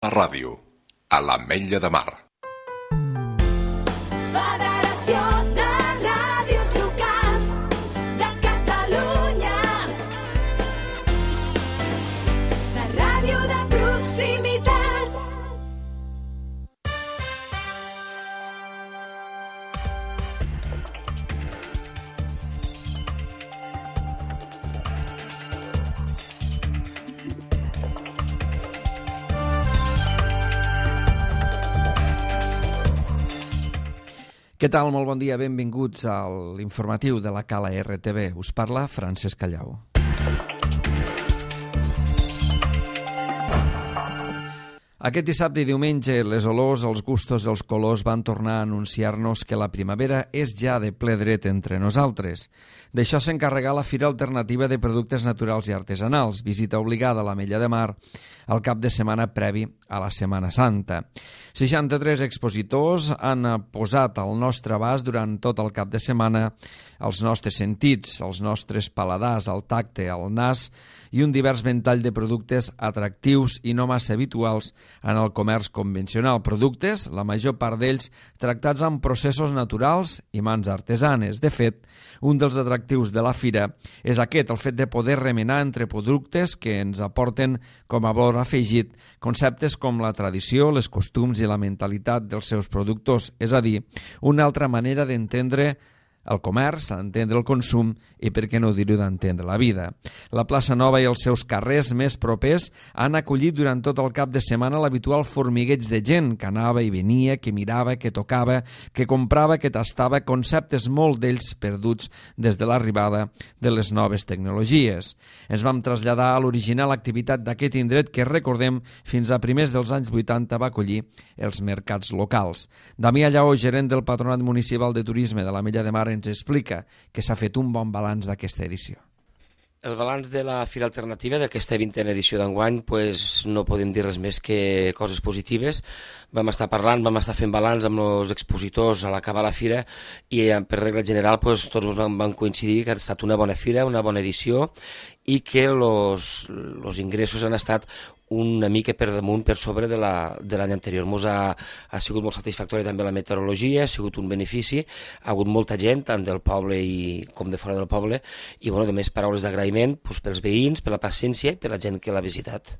La ràdio, a l'Ametlla de Mar. Federació de Ràdios Locals de Catalunya. La ràdio de proximitat. Què tal? Molt bon dia, benvinguts a l'informatiu de la Cala RTV. Us parla Francesc Callau. Aquest dissabte i diumenge les olors, els gustos i els colors van tornar a anunciar-nos que la primavera és ja de ple dret entre nosaltres. D'això s'encarregà la Fira Alternativa de Productes Naturals i Artesanals, visita obligada a l'Ametlla de Mar al cap de setmana previ a la Setmana Santa. 63 expositors han posat al nostre abast durant tot el cap de setmana els nostres sentits, els nostres paladars, el tacte, el nas i un divers ventall de productes atractius i no massa habituals en el comerç convencional. Productes, la major part d'ells, tractats amb processos naturals i mans artesanes. De fet, un dels atractius de la fira és aquest, el fet de poder remenar entre productes que ens aporten com a valor afegit conceptes com la tradició, les costums i la mentalitat dels seus productors, és a dir, una altra manera d'entendre el comerç, entendre el consum i, per què no dir-ho, d'entendre la vida. La plaça Nova i els seus carrers més propers han acollit durant tot el cap de setmana l'habitual formigueig de gent que anava i venia, que mirava, que tocava, que comprava, que tastava, conceptes molt d'ells perduts des de l'arribada de les noves tecnologies. Ens vam traslladar a l'original activitat d'aquest indret que, recordem, fins a primers dels anys 80 va acollir els mercats locals. Damià Lleó, gerent del Patronat Municipal de Turisme de l'Ametlla de Mar, ens explica que s'ha fet un bon balanç d'aquesta edició. El balanç de la Fira Alternativa d'aquesta 20a edició d'enguany, no podem dir res més que coses positives. Vam estar parlant, vam estar fent balanç amb els expositors a l'acabar la fira i per regla general tots vam coincidir que ha estat una bona fira, una bona edició i que els ingressos han estat una mica per damunt, per sobre de l'any anterior. Ha sigut molt satisfactòria també la meteorologia, ha sigut un benefici, ha hagut molta gent, tant del poble com de fora del poble, i només paraules d'agraïment pels veïns, per la paciència i per la gent que l'ha visitat.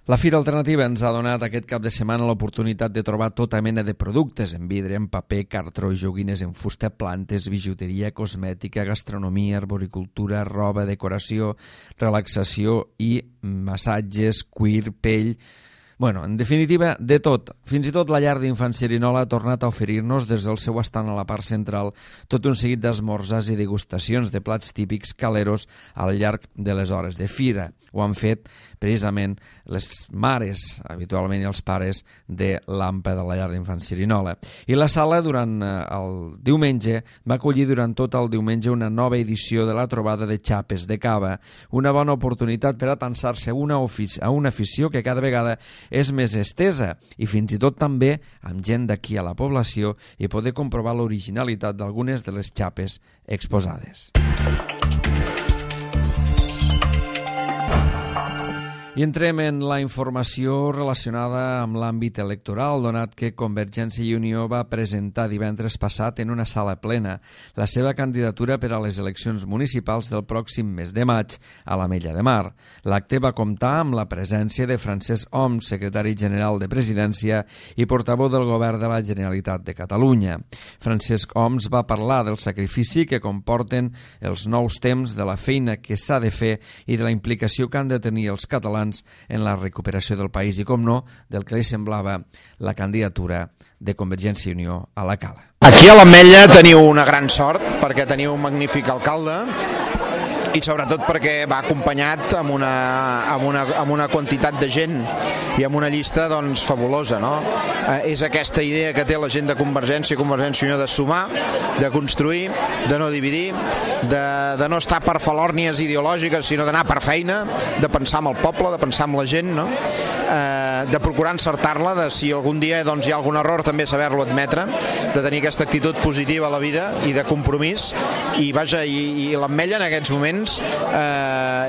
La Fira Alternativa ens ha donat aquest cap de setmana l'oportunitat de trobar tota mena de productes en vidre, en paper, cartró, joguines en fusta, plantes, bijuteria, cosmètica, gastronomia, arboricultura, roba, decoració, relaxació i massatges, cuir, pell. En definitiva, de tot. Fins i tot la llar d'infants Xerinola ha tornat a oferir-nos des del seu estant a la part central tot un seguit d'esmorzars i degustacions de plats típics caleros al llarg de les hores de fira. Ho han fet precisament les mares, habitualment, i els pares de l'AMPA de la llar d'infants Xerinola. I la sala, durant el diumenge, va acollir durant tot el diumenge una nova edició de la trobada de xapes de cava, una bona oportunitat per atansar-se a una afició que cada vegada és més estesa i fins i tot també amb gent d'aquí a la població i poder comprovar l'originalitat d'algunes de les xapes exposades. I entrem en la informació relacionada amb l'àmbit electoral, donat que Convergència i Unió va presentar divendres passat en una sala plena la seva candidatura per a les eleccions municipals del pròxim mes de maig a l'Ametlla de Mar. L'acte va comptar amb la presència de Francesc Homs, secretari general de Presidència i portaveu del Govern de la Generalitat de Catalunya. Francesc Homs va parlar del sacrifici que comporten els nous temps, de la feina que s'ha de fer i de la implicació que han de tenir els catalans en la recuperació del país i, com no, del que li semblava la candidatura de Convergència i Unió a la Cala. Aquí a l'Ametlla teniu una gran sort perquè teniu un magnífic alcalde i sobretot perquè va acompanyat amb una quantitat de gent i amb una llista fabulosa, no? És aquesta idea que té la gent de Convergència i Unió de sumar, de construir, de no dividir, de no estar per falòrnies ideològiques, sinó d'anar per feina, de pensar en el poble, de pensar en la gent, no? De procurar encertar-la, de si algun dia hi ha algun error també saber-lo admetre, de tenir aquesta actitud positiva a la vida i de compromís, i l'Ametlla en aquests moments anys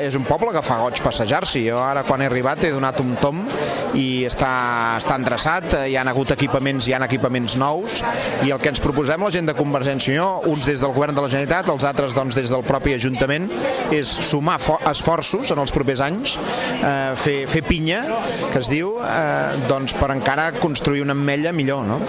és un poble que fa goig passejar-s'hi. Jo ara quan he arribat he donat un tom i està endreçat, hi ha hagut equipaments nous, i el que ens proposem la gent de Convergència i Unió, uns des del govern de la Generalitat, els altres doncs, des del propi Ajuntament, és sumar esforços en els propers anys, fer pinya, que es diu, doncs, per encara construir una ametlla millor, no?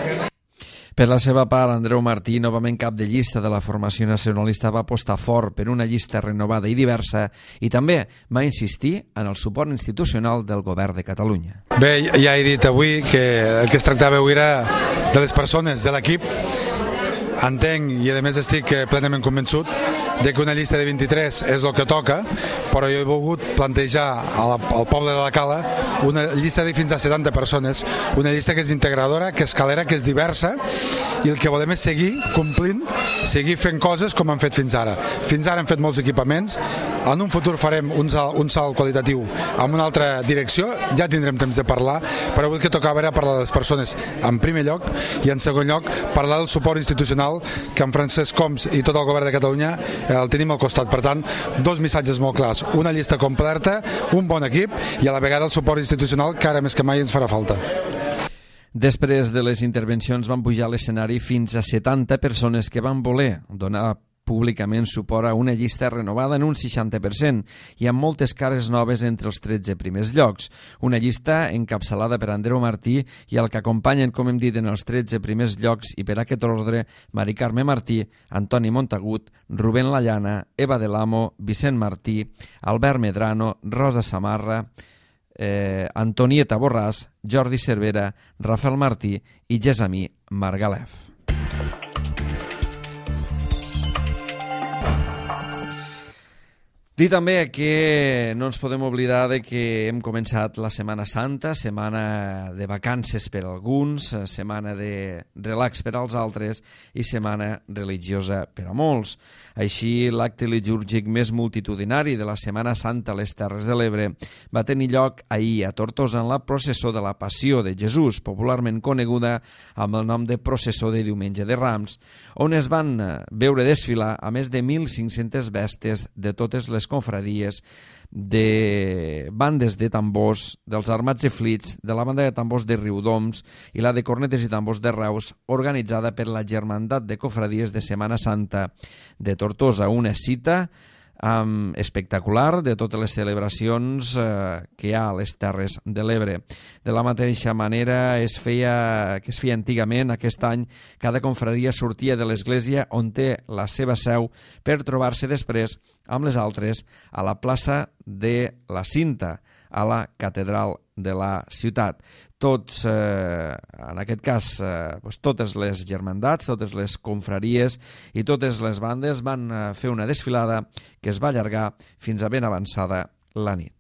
Per la seva part, Andreu Martí, novament cap de llista de la formació nacionalista, va apostar fort per una llista renovada i diversa i també va insistir en el suport institucional del govern de Catalunya. Bé, ja he dit avui que el que es tractava avui era de les persones, de l'equip. Entenc i a més estic plenament convençut de que una llista de 23 és el que toca, però jo he volgut plantejar al poble de la Cala una llista de fins a 70 persones, una llista que és integradora, que és calera, que és diversa, i el que volem és seguir complint, seguir fent coses com han fet fins ara. Fins ara hem fet molts equipaments, en un futur farem un salt qualitatiu en una altra direcció, ja tindrem temps de parlar, però avui el que tocava era parlar de les persones en primer lloc, i en segon lloc parlar del suport institucional que en Francesc Homs i tot el govern de Catalunya el tenim al costat. Per tant, dos missatges molt clars, una llista completa, un bon equip i a la vegada el suport institucional que ara més que mai ens farà falta. Després de les intervencions van pujar a l'escenari fins a 70 persones que van voler donar públicament suport a una llista renovada en un 60% i amb moltes cares noves entre els 13 primers llocs. Una llista encapçalada per Andreu Martí i el que acompanyen, com hem dit, en els 13 primers llocs i per aquest ordre, Mari Carme Martí, Antoni Montagut, Rubén Lallana, Eva de l'Amo, Vicent Martí, Albert Medrano, Rosa Samarra, Antonieta Borràs, Jordi Cervera, Rafael Martí i Gessamí Margalef. Dir també que no ens podem oblidar de que hem començat la Setmana Santa, setmana de vacances per alguns, setmana de relax per als altres i setmana religiosa per a molts. Així, l'acte litúrgic més multitudinari de la Setmana Santa a les Terres de l'Ebre va tenir lloc ahir a Tortosa en la processó de la Passió de Jesús, popularment coneguda amb el nom de processó de Diumenge de Rams, on es van veure desfilar a més de 1.500 bèsties de totes les confradies, de bandes de tambors, dels Armats de Flits, de la banda de tambors de Riudoms i la de cornetes i tambors de Reus, organitzada per la Germandat de Cofradies de Setmana Santa de Tortosa, una cita espectacular de totes les celebracions que hi ha a les Terres de l'Ebre. De la mateixa manera que es feia antigament, aquest any cada confraria sortia de l'església on té la seva seu per trobar-se després amb les altres a la plaça de la Cinta, a la catedral de la ciutat. Tots, en aquest cas, totes les germandats, totes les confraries i totes les bandes van fer una desfilada que es va allargar fins a ben avançada la nit.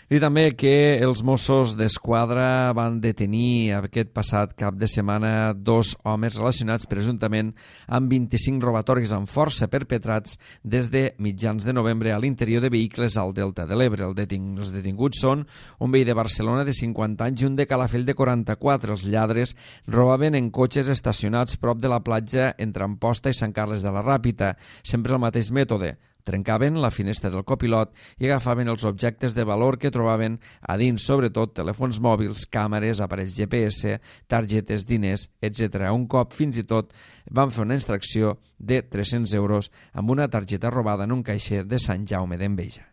I també que els Mossos d'Esquadra van detenir aquest passat cap de setmana 2 homes relacionats presumptament amb 25 robatoris amb força perpetrats des de mitjans de novembre a l'interior de vehicles al Delta de l'Ebre. Els detinguts són un veí de Barcelona de 50 anys i un de Calafell de 44. Els lladres robaven en cotxes estacionats prop de la platja entre Amposta i Sant Carles de la Ràpita, sempre el mateix mètode. Trencaven la finestra del copilot i agafaven els objectes de valor que trobaven a dins, sobretot telèfons mòbils, càmeres, aparells GPS, targetes, diners, etc. Un cop, fins i tot, van fer una extracció de 300 euros amb una targeta robada en un caixer de Sant Jaume d'Enveja.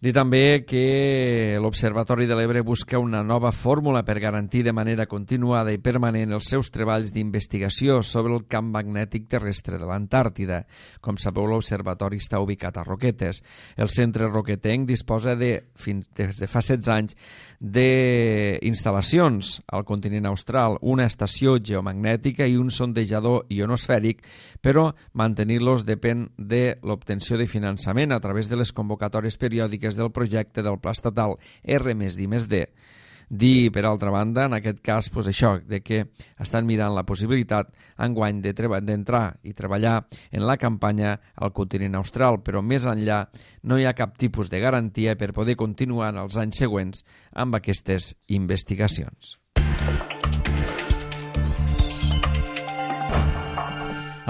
Dir també que l'Observatori de l'Ebre busca una nova fórmula per garantir de manera continuada i permanent els seus treballs d'investigació sobre el camp magnètic terrestre de l'Antàrtida. Com sabeu, l'Observatori està ubicat a Roquetes. El centre roquetenc disposa des de fa 16 anys d'instal·lacions al continent austral, una estació geomagnètica i un sondejador ionosfèric, però mantenir-los depèn de l'obtenció de finançament a través de les convocatòries periòdiques del projecte del Pla Estatal R+D+D. Dir, per altra banda, en aquest cas, això, de que estan mirant la possibilitat enguany d'entrar i treballar en la campanya al continent austral, però més enllà no hi ha cap tipus de garantia per poder continuar en els anys següents amb aquestes investigacions.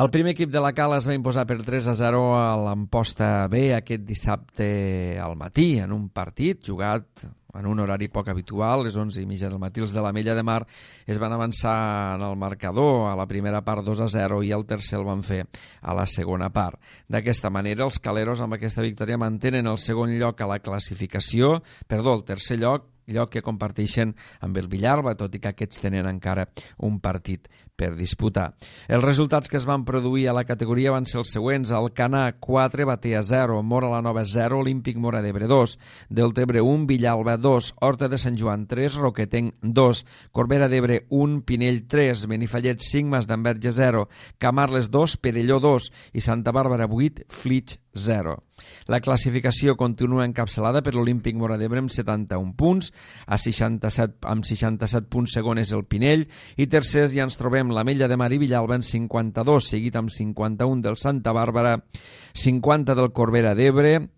El primer equip de la Cala es va imposar per 3-0 a l'Amposta B aquest dissabte al matí en un partit jugat en un horari poc habitual, les 11:30 del matí. Els de l'Ametlla de Mar es van avançar en el marcador a la primera part 2-0 i el tercer el van fer a la segona part. D'aquesta manera, els caleros amb aquesta victòria mantenen el segon lloc a la classificació, el tercer lloc que comparteixen amb el Villalba, tot i que aquests tenen encara un partit per disputar. Els resultats que es van produir a la categoria van ser els següents: Alcanar 4, Batea 0, Móra la Nova 0, Olímpic Móra d'Ebre 2, Deltebre 1, Villalba 2, Horta de Sant Joan 3, Roquetenc 2, Corbera d'Ebre 1, Pinell 3, Benifallet 5, Mas d'Enverge 0, Camarles 2, Perelló 2 i Santa Bàrbara 8, Flix 0. La classificació continua encapçalada per l'Olímpic Móra d'Ebre amb 71 punts, amb 67 punts segon és el Pinell, i tercers ja ens trobem l'Ametlla de Mar i Villalba en 52, seguit amb 51 del Santa Bàrbara, 50 del Corbera d'Ebre,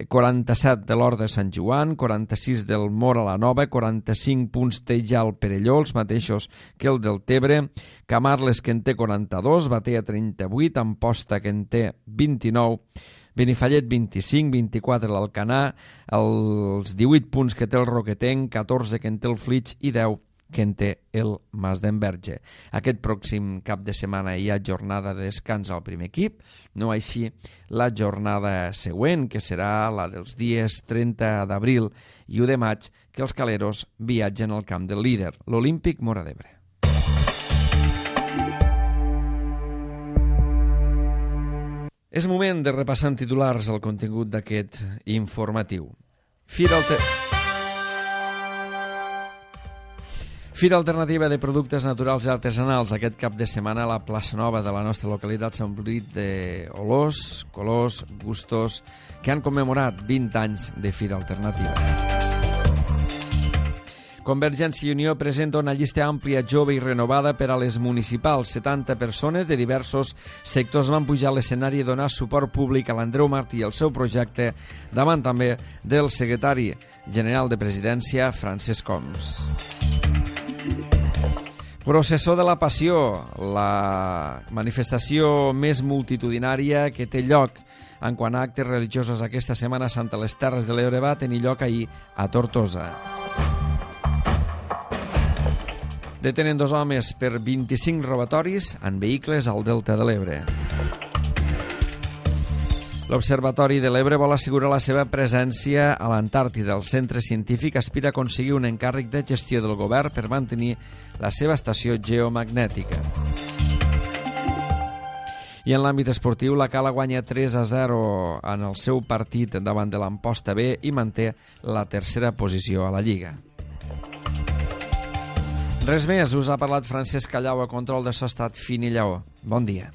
47 de l'Hort de Sant Joan, 46 del Móra la Nova, 45 punts té ja el Perelló, els mateixos que el del Tebre, Camarles que en té 42, Batea 38, Amposta que en té 29, Benifallet 25, 24 l'Alcanar, els 18 punts que té el Roquetenc, 14 que en té el Flix i 10 que en té el Mas d'Enverge. Aquest pròxim cap de setmana hi ha jornada de descans al primer equip, no així la jornada següent, que serà la dels dies 30 d'abril i 1 de maig, que els caleros viatgen al camp del líder, l'Olímpic Móra d'Ebre. És moment de repassar en titulars el contingut d'aquest informatiu. Fira Alternativa de Productes Naturals i Artesanals. Aquest cap de setmana a la plaça Nova de la nostra localitat s'ha omplit d'olors, colors, gustos que han commemorat 20 anys de Fira Alternativa. Convergència i Unió presenta una llista àmplia, jove i renovada per a les municipals. 70 persones de diversos sectors van pujar a l'escenari i donar suport públic a l'Andreu Martí i el seu projecte, davant també del secretari general de Presidència, Francesc Homs. Processó de la Passió, la manifestació més multitudinària que té lloc en quant a actes religiosos aquesta Setmana Santa a les Terres de l'Ebre va tenir lloc ahir a Tortosa. Detenen 2 homes per 25 robatoris en vehicles al Delta de l'Ebre. L'Observatori de l'Ebre vol assegurar la seva presència a l'Antàrtida. El centre científic aspira a aconseguir un encàrrec de gestió del govern per mantenir la seva estació geomagnètica. I en l'àmbit esportiu, la Cala guanya 3-0 en el seu partit davant de l'Amposta B i manté la tercera posició a la Lliga. Res més, us ha parlat Francesc Callau a control de so estat fin i lleó. Bon dia.